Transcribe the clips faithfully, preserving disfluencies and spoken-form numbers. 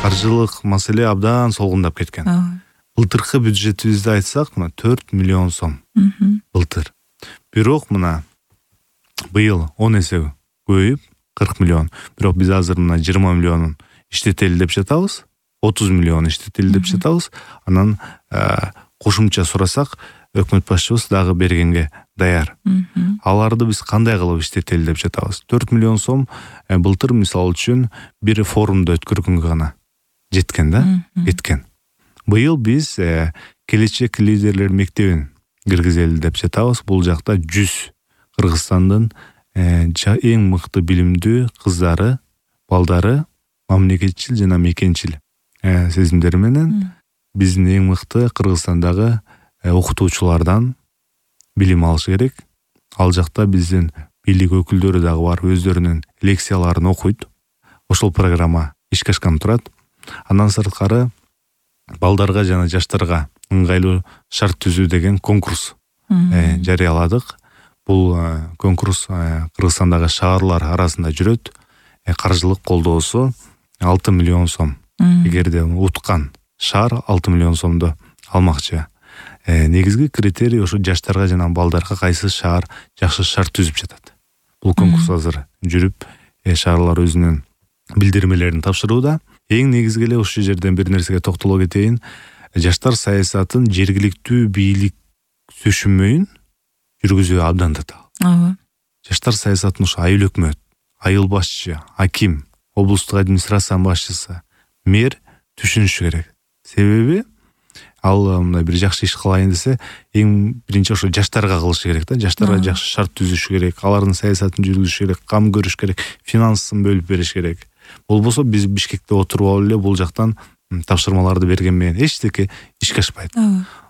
каржылык маселе абдан солгундап кеткен. Былтыркы бюджетибизди айтсак, мына төрт миллион сом. Былтыр. Бирок мына быйыл он эсе көбөйүп кырк миллион. Бирок биз азыр мына жыйырма миллионун иштетели деп жатабыз. отуз миллион иштетели деп жатабыз. Анан кошумча сурасак, өкмөт башчыбыз дагы бергенге даяр. Аларды биз кандай кылып иштетели деп жатабыз. төрт миллион сом былтыр мисалы үчүн бир форумду өткөргөнгө гана жеткен да, кеткен. Быйыл биз келечек лидерлер мектебин киргизели деп жатабыз. Бул жакта жүз Кыргызстандын эң мыкты билимдүү кыздары, балдары мамлекетчил жана мекенчил сезимдери менен биздин эң мыкты Кыргызстандагы окутуучулардан билим алыш керек. Ал жакта биздин бийлик өкүлдөрү дагы бар, өздөрүнүн лекцияларын окуйт. Ошол программа ишке ашкан турат. Андан сырткары балдарга жана жаштарга ыңгайлуу шарт түзүү деген конкурс жарыяладык. Бул конкурс Кыргызстандагы шаарлар арасында жүрөт. Каржылык колдоосу алты миллион сом. Эгерде уткан шаар алты миллион сомду алмакчы. Негизги критерий ошо жаштарга жана балдарга кайсы шаар жакшы шарт түзүп жатат. Бул конкурс азыр жүрүп, шаарлар өзүнүн билдирмелерин тапшырууда. Эң негизги эле ушул жерден бир нерсеге токтоло кетейин. Жаштар саясатын жергиликтүү бийлик түшүнмөйүн жүргүзүү абдан татаал. Жаштар саясатын ушу айыл өкмөт, айыл башчы, аким, облустук администрациянын башчысы, мэр түшүнүшү керек. Себеби ал мындай бир жакшы иш кылайын десе, эң биринчи ошо жаштарга кылышы керек да. Жаштарга жакшы шарт түзүш керек, алардын саясатын жүргүзүш керек, кам көрүш керек, финансын бөлүп бериш керек. Болбосо биз Бишкекте отуруп алып эле бул жактан тапшырмаларды берген менен эчтеке ишке ашпайт.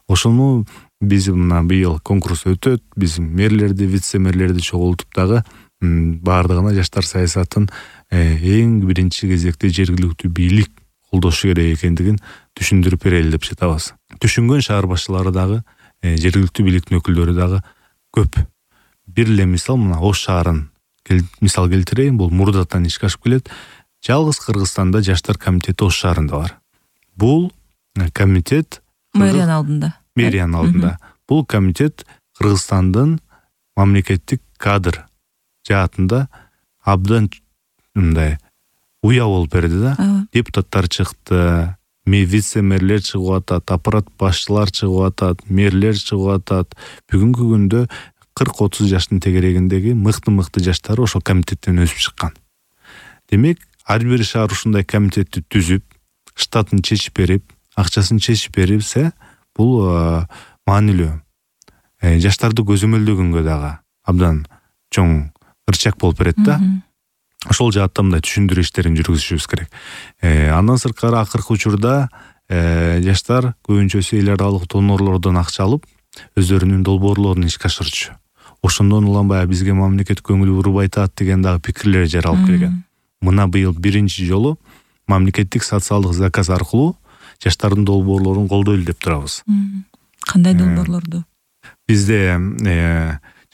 Ошону биз мына быйыл конкурс өтөт, биз мэрлерди, вице-мэрлерди чогултуп дагы баардыгына жаштар саясатын эң биринчи кезекте жергиликтүү бийлик колдошу керек экендигин түшүндүрүп берели деп жатабыз. Түшүнгөн шаар башчылары дагы, жергиликтүү бийликтин өкүлдөрү дагы көп. Бир эле мисал мына Ош шаарын мисал келтирейин, бул мурдатан ишке ашып келет. Жалгыз Кыргызстанда жаштар комитети Ош шаарында бар. Бул комитет мэриянын алдында. Мэриянын алдында. Бул комитет Кыргызстандын мамлекеттик кадр жаатында абдан мындай уя болуп берди да. Депутаттар чыкты, вице-мэрлер чыгып атат, аппарат башчылар чыгып атат, мэрлер чыгып атат. Бүгүнкү күндө кырк отуз жаштын тегерегиндеги мыкты-мыкты жаштар ошол комитеттен өсүп чыккан. Демек, ар бир шаар ушундай комитетти түзүп, штатын чечип берип, акчасын чечип берипсе, бул маанилүү. Жаштарды көзөмөлдөгөнгө дагы абдан чоң ырчак болуп берет да. Ошол жаатта мындай түшүндүрүү иштерин жүргүзүшүбүз керек. Андан сырткары акыркы учурда жаштар көбүнчөсү эл аралык донорлордон акча алып, өздөрүнүн долбоорлорун ишке ашырчу. Ошондон уланбай бизге мамлекет көңүл бурбай атат деген дагы пикирлер жаралып келген. Мына быйыл биринчи жолу мамлекеттик социалдык заказ аркылуу жаштардын долбоорлорун колдойлу деп турабыз. Кандай долбоорлорду? Бизде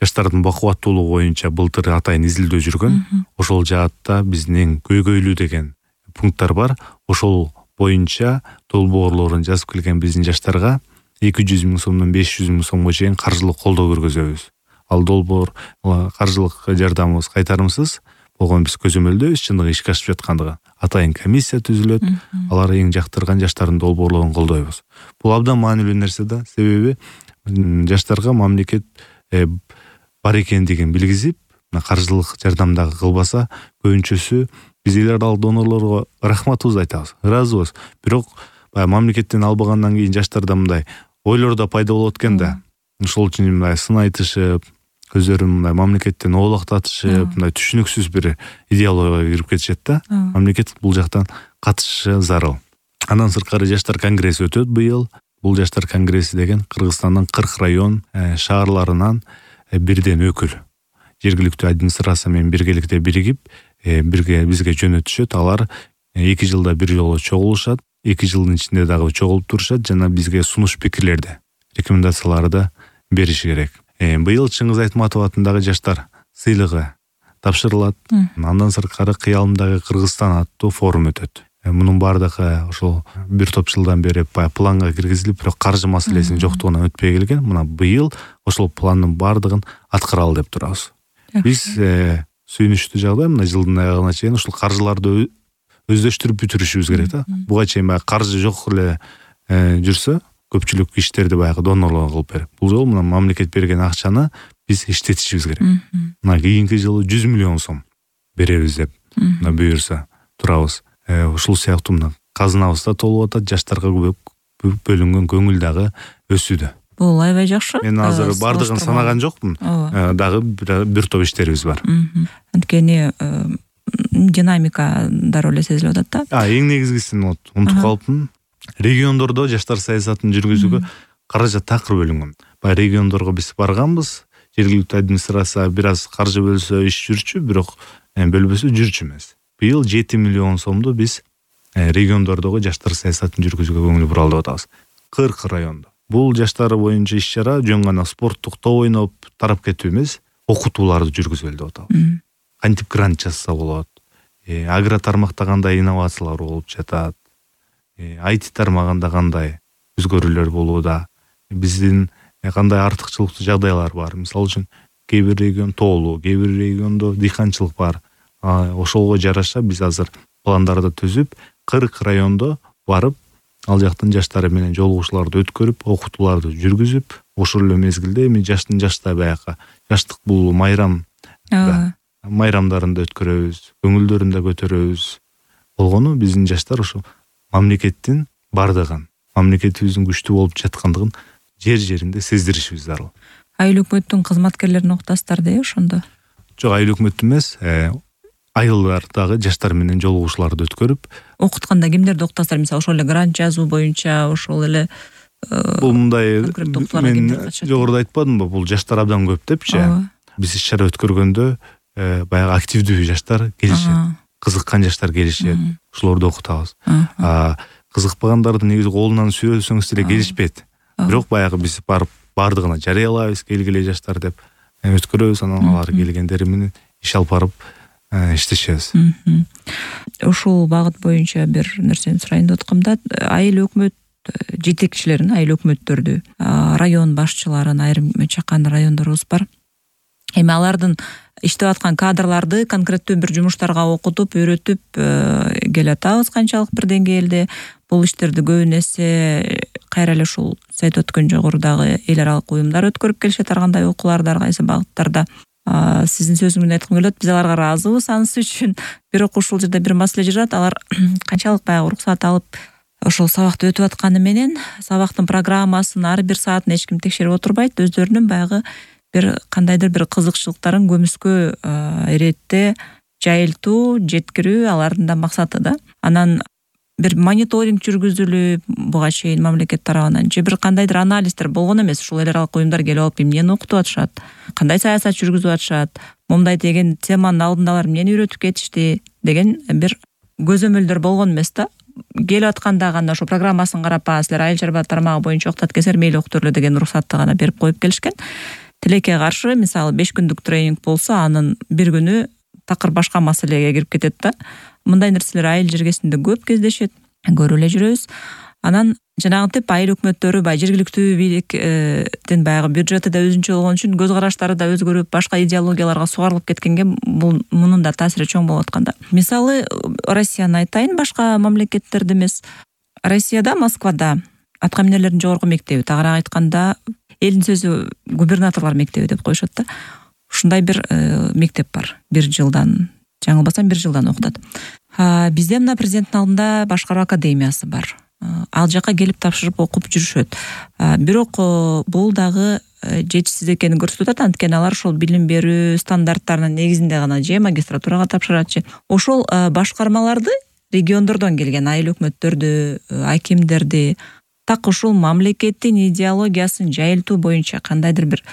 жаштардын бакубаттуулугу боюнча былтыр атайын изилдөө жүргөн. Ошол жаатта биздин эң көйгөйлүү деген пункттар бар. Ошол боюнча долбоорлорун жазып келген биздин жаштарга эки жүз миң сомдон беш жүз миң сомго чейин каржылык колдоо көргөзөбүз. Ал долбоор каржылык жардамыбыз кайтарымсыз болгон, биз көзөмөлдөбүз чындыгы ишке ашып жаткандыгы. Атайын комиссия түзүлөт, алар эң жактырган жаштардын долбоорлорун колдойбуз. Бул абдан маанилүү нерсе да, себеби жаштарга мамлекет бар экендигин билгизип, каржылык жардам дагы кылбаса, көбүнчөсү биз эл аралык донорлорго рахматыбызды айтабыз, ыраазыбыз. Бирок мамлекеттен албагандан кийин жаштарда мындай ойлор да пайда болот экен да. Ошол үчүн мындай сын айтышып, өздөрүн мындай мамлекеттен оолактатышып, мындай түшүнүксүз бир идеологияга кирип кетишет да. Мамлекет бул жактан катышы зарыл. Андан сырткары жаштар конгресси өтөт быйыл. Бул жаштар конгресси деген Кыргызстандын кырк район шаарларынан бирден өкүл жергиликтүү администрация менен биргеликте биригип, бирге бизге жөнөтүшөт. Алар эки жылда бир жолу чогулушат, эки жылдын ичинде дагы чогулуп турушат жана бизге сунуш пикирлерди, рекомендацияларды бериши керек. Быйыл Чыңгыз Айтматов атындагы жаштар сыйлыгы тапшырылат. Андан сырткары Кыялымдагы Кыргызстан аттуу форум өтөт. мунун баардыгы ошол бир топ жылдан бери баягы планга киргизилип, бирок каржы маселесинин жоктугунан өтпөй келген. Мына быйыл ошол пландын баардыгын аткаралы деп турабыз. Биз сүйүнүчтүү жагдай мына жылдын аягына чейин ушул каржыларды өздөштүрүп бүтүрүшүбүз керек да. Буга чейин баягы каржы жок эле жүрсө, көпчүлүк иштерди баягы донорлор кылып берип, бул жолу мына мамлекет берген акчаны биз иштетишибиз керек. Мына кийинки жылы жүз миллион сом беребиз деп мына буйрса турабыз. Ушул сыяктуу мына казынабыз да толуп атат, жаштарга бөлүнгөн көңүл дагы өсүүдө. Бул аябай жакшы. Мен азыр бардыгын санаган жокмун. Дагы бир топ иштерибиз бар. Анткени динамика дароо эле сезилип атат да. А, эң негизгисин унутуп калыпмын. Региондордо жаштар саясатын жүргүзүүгө каражат такыр бөлүнгөн. Баягы региондорго биз барганбыз, жергиликтүү администрация бир аз каржы бөлсө иш жүрчү, бирок бөлбөсө жүрчү эмес. Быйыл жети миллион сомду биз региондордогу жаштар саясатын жүргүзүүгө көңүл буралы деп атабыз. кырк райондо. Бул жаштар боюнча иш-чара жөн гана спорттук топ ойноп тарап кетүү эмес, окутууларды жүргүзөлү деп атабыз. Кантип грант жазса болот, агро тармакта кандай инновациялар болуп жатат, ай ти тармагында кандай өзгөрүүлөр болууда, биздин кандай артыкчылыктуу жагдайлар бар. Мисалы үчүн кээ бир регион тоолуу, кээ бир региондо дыйканчылык бар. Ошолго жараша биз азыр пландарды түзүп, кырк райондо барып, ал жактын жаштары менен жолугушууларды өткөрүп, окутууларды жүргүзүп, ошол эле мезгилде эми жаштын жашта баягы жаштык бул майрам майрамдарында өткөрөбүз, көңүлдөрүн да көтөрөбүз. Болгону биздин жаштар ошо мамлекеттин бардыгын, мамлекетибиздин күчтүү болуп жаткандыгын жер-жеринде сездиришибиз зарыл. Айыл өкмөттүн кызматкерлерин уктасыздар да ошондо? Жок, айыл өкмөттү эмес, айылдардагы жаштар менен жолугушууларды өткөрүп. Окутканда кимдерди уктасыздар? Мисалы, ошол эле грант жазуу боюнча, ошол эле бул мындай мен жогоруда айтпадымбы, бул жаштар абдан көп депчи. Биз иш-чара өткөргөндө баягы активдүү жаштар келишет, кызыккан жаштар келишет, ошолорду окутабыз. Кызыкпагандарды негизи колунан сүйрөсөңүз деле келишпейт. Бирок баягы биз барып бардыгына жарыялайбыз, келгиле жаштар деп өткөрөбүз, анан алар келгендери менен иш алып барып иштешебиз. Ушул багыт боюнча бир нерсени сурайын деп аткам да, айыл өкмөт жетекчилерин, айыл өкмөттөрдү, район башчыларын, айрым чакан райондорубуз бар. Эми алардын иштеп аткан кадрларды конкреттүү бир жумуштарга окутуп, үйрөтүп келатабыз канчалык бир деңгээлде. Бул иштерди көбүн эсе кайра эле ушул сиз айтып өткөн жогорудагы эл аралык уюмдар өткөрүп келишет, ар кандай окууларды, ар кайсы багыттарда. Сиздин сөзүңүздөн айткым келет, биз аларга ыраазыбыз анысы үчүн. Бирок ушул жерде бир маселе жүрөт, алар канчалык баягы уруксат алып ошол сабакты өтүп атканы менен сабактын программасын ар бир саатын эч ким текшерип отурбайт, өздөрүнүн баягы бир кандайдыр бир кызыкчылыктарын көмүскө иретте жайылтуу, жеткирүү алардын да максаты да. Анан бир мониторинг жүргүзүлүп, буга чейин мамлекет тарабынан же бир кандайдыр анализдер болгон эмес. Ушул эл аралык уюмдар келип алып эмнени окутуп атышат, кандай саясат жүргүзүп атышат, момундай деген теманын алдында алар эмнени үйрөтүп кетишти деген бир көзөмөлдөр болгон эмес да. Келип атканда гана ошо программасын карап, силер айыл чарба тармагы боюнча окутат экенсиздер, мейли окутурлу деген уруксатты гана берип коюп келишкен. Тилекке каршы, мисалы беш күндүк тренинг болсо, анын бир күнү такыр башка маселеге кирип кетет да. Мындай нерселер айыл жергесинде көп кездешет, көрүп эле жүрөбүз. Анан жанагынтип айыл өкмөттөрү бай жергиликтүү бийликтин баягы бюджети да өзүнчө болгон үчүн көз караштары да өзгөрүп, башка идеологияларга сугарылып кеткенге бул мунун да таасири чоң болуп аткан да. Мисалы Россияны айтайын, башка мамлекеттерде эмес. Россияда, Москвада атка минерлердин жогорку мектеби, тагыраак айтканда элдин сөзү губернаторлор мектеби деп коюшат да. Ушундай бир мектеп бар. Бир жылдан, жаңылбасам бир жылдан окутат. Бизде мына президенттин алдында башкаруу академиясы бар. Ал жака келип тапшырып окуп жүрүшөт. Бирок бул дагы жетишсиз экенин көрсөтүп атат, анткени алар ошол билим берүү стандарттарынын негизинде гана же магистратурага тапшырат же. Ошол башкармаларды региондордон келген айыл өкмөттөрдү, акимдерди так ушул мамлекеттин идеологиясын жайылтуу боюнча кандайдыр бир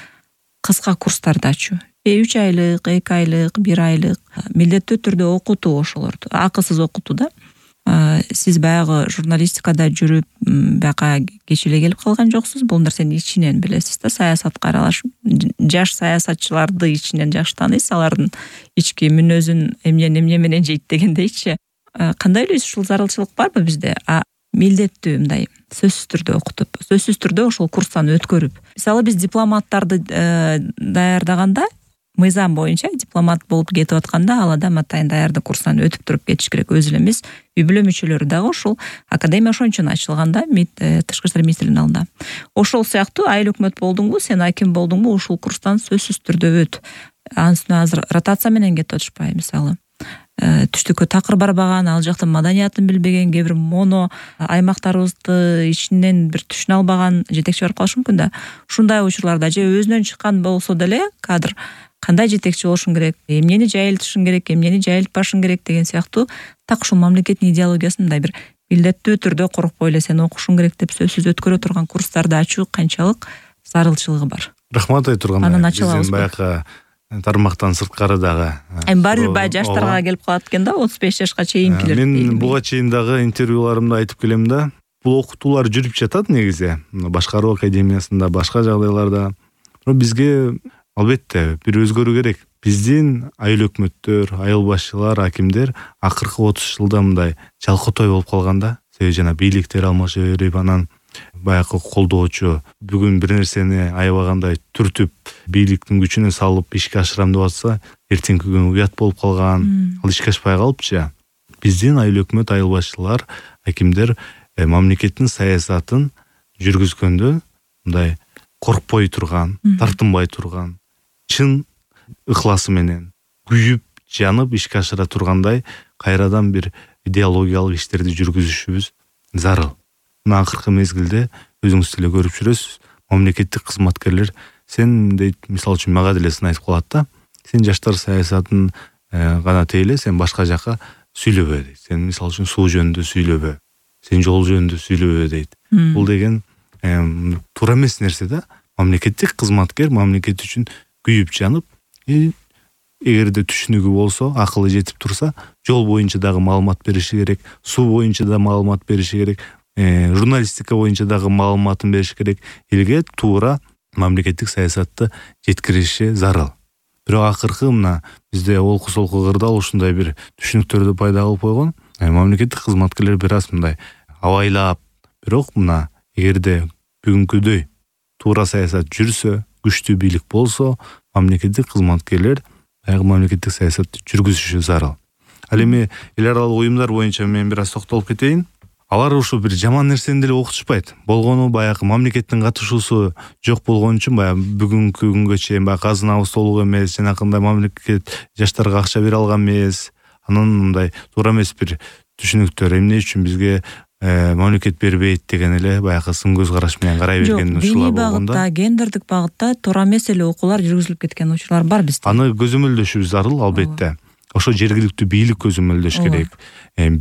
кыска курстарды ачуу. үч айлык, эки айлык, бир айлык милдеттүү түрдө окутуу ошолорду. Акысыз окутуу да. Сиз баягы журналистикада жүрүп, бияка кеч эле келип калган жоксуз. Бул нерсени ичинен билесиз да, саясатка аралашып, жаш саясатчыларды ичинен жакшы тааныйсыз, алардын ички мүнөзүн эмнени эмне менен жейт дегендейчи. кандай эле ушул зарылчылык барбы бизде? А милдеттүү мындай сөзсүз түрдө окутуп, сөзсүз түрдө ошол курстан өткөрүп. Мисалы биз дипломаттарды даярдаганда, мыйзам боюнча дипломат болуп кетип атканда ал адам атайын даярдык курстан өтүп туруп кетиш керек. Өзү эле эмес, үй бүлө мүчөлөрү дагы ушул академия ошон үчүн ачылганда, Тышкы иштер министрлигинин алдында. Ошол сыяктуу айыл өкмөт болдуңбу, сен аким болдуңбу, ушул курстан сөзсүз түрдө өт. Анын үстүнө азыр ротация менен кетип атышпайбы, мисалы. Түштүккө такыр барбаган, ал жактын маданиятын билбеген, кээ бир моно аймактарыбызды ичинен бир түшүнө албаган жетекчи бар калышы мүмкүн да. Ушундай учурларда же өзүнөн чыккан болсо деле кадр кандай жетекчи болушун керек, эмнени жайылтышың керек, эмнени жайылтпашың керек деген сыяктуу так ушул мамлекеттин идеологиясын мындай бир милдеттүү түрдө коркпой эле сен окушуң керек деп сөзсүз өткөрө турган курстарды ачуу канчалык зарылчылыгы бар. Рахмат айтырганда. Биздин баягы тармактан сырткары дагы. Эми баары бир бай жаштарга келип калат экен да, отуз беш жашка чейинкилер. Мен буга чейин дагы интервьюларымда айтып келем да, бул окутуулар жүрүп жатат негизи. Башкаруу академиясында, башка жагдайларда. Бирок бизге албетте бир өзгөрүү керек. Биздин айыл өкмөттөр, айыл башчылар, акимдер акыркы отуз жылда мындай жалкотой болуп калганда, себеби жана бийликтер алмаша берип, анан баягы колдоочу бүгүн бир нерсени аябагандай түртүп бийликтин күчүнө салып ишке ашырам деп атса, эртеңки күнү уят болуп калган, ал ишке ашпай калыпчы. Биздин айыл өкмөт, айыл башчылар, акимдер мамлекеттин саясатын жүргүзгөндө мындай коркпой турган, тартынбай турган, чын ыхласы менен күйүп, жанып ишке ашыра тургандай кайрадан бир идеологиялык иштерди жүргүзүшүбүз зарыл. Мына акыркы мезгилде өзүңүз деле көрүп жүрөсүз, мамлекеттик кызматкерлер сен дейт, мисалы үчүн мага деле сын айтып калат да, сен жаштар саясатын гана тейле, сен башка жака сүйлөбө дейт. Сен мисалы үчүн суу жөнүндө сүйлөбө, сен жол жөнүндө сүйлөбө дейт. Бул деген туура эмес нерсе да. Мамлекеттик кызматкер мамлекет үчүн күйүп жанып, эгерде түшүнүгү болсо, акылы жетип турса, жол боюнча дагы маалымат бериши керек, суу боюнча да маалымат бериши керек, журналистика боюнча дагы маалыматын бериш керек. Элге туура мамлекеттик саясатты жеткириши зарыл. Бирок акыркы мына бизде олку-солку кырдаал ушундай бир түшүнүктөрдү пайда кылып койгон. Мамлекеттик кызматкерлер бир аз мындай абайлап, бирок мына эгерде бүгүнкүдөй туура саясат жүрсө, күчтүү бийлик болсо, мамлекеттик кызматкерлер баягы мамлекеттик саясатты жүргүзүшү зарыл. Ал эми эл аралык уюмдар боюнча мен бир аз токтолуп кетейин. Алар ушу бир жаман нерсени деле окутушпайт. Болгону баягы мамлекеттин катышуусу жок болгон үчүн баягы бүгүнкү күнгө чейин баягы казынабыз толук эмес, жанакындай мамлекет жаштарга акча бере алган эмес. Анан мындай туура эмес бир түшүнүктөр, эмне үчүн бизге мамлекет бербейт деген эле баягы сын көз караш менен карай берген учурлар болгондо. Багытта, гендердик багытта туура эмес эле окуулар жүргүзүлүп кеткен учурлар бар бизде. Аны көзөмөлдөшүбүз зарыл, албетте. Ошо жергиликтүү бийлик көзөмөлдөш керек.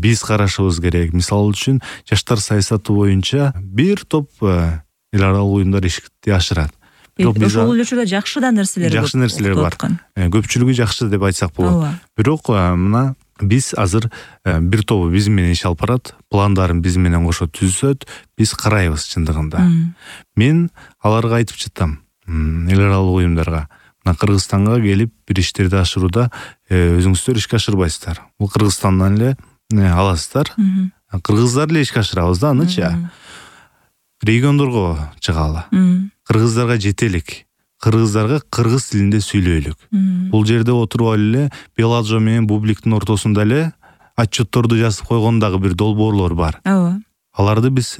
Биз карашыбыз керек. Мисалы үчүн, жаштар саясаты боюнча бир топ эл аралык уюмдар ишти ашырат. Ошол өлчөдө жакшы да нерселер жакшы нерселер бар. Көпчүлүгү жакшы деп айтсак болот. Бирок мына биз азыр бир тобу биз менен иш алып барат, пландарын биз менен кошо түзөт, биз карайбыз чындыгында. Мен аларга айтып чыктым, эл аралык уюмдарга. Мына Кыргызстанга келип бир иштерди ашырууда өзүңүздөр ишке ашырбайсыздар. Бул Кыргызстандан эле аласыздар. Кыргыздар эле ишке ашырабыз да анычы. Региондорго чыгалы. Кыргыздарга жетелик. Кыргыздарга кыргыз тилинде сүйлөйлүк. Бул жерде отуруп эле Беладжо менен Бубликтин ортосунда эле отчетторду жазып койгон дагы бир долбоорлор бар. Ооба. Аларды биз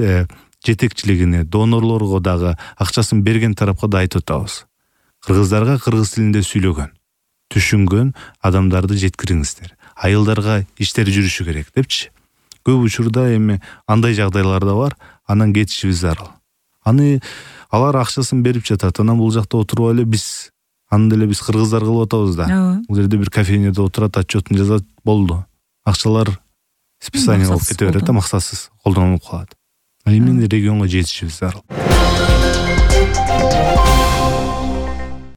жетекчилигине, донорлорго дагы акчасын берген тарапка да айтып атабыз. Кыргыздарга кыргыз тилинде сүйлөгөн, түшүнгөн адамдарды жеткириңиздер. Айылдарга иштер жүрүшү керек депчи. Көп учурда эми андай жагдайлар да бар, анан кетишибиз зарыл. Аны алар акчасын берип жатат, анан бул жакта отуруп эле биз аны деле биз кыргыздар кылып атабыз да. Бул жерде бир кафенеде отурат, отчетун жазат, болду. Акчалар списание болуп кете берет да, максатсыз колдонулуп калат. Эми регионго жетишибиз зарыл.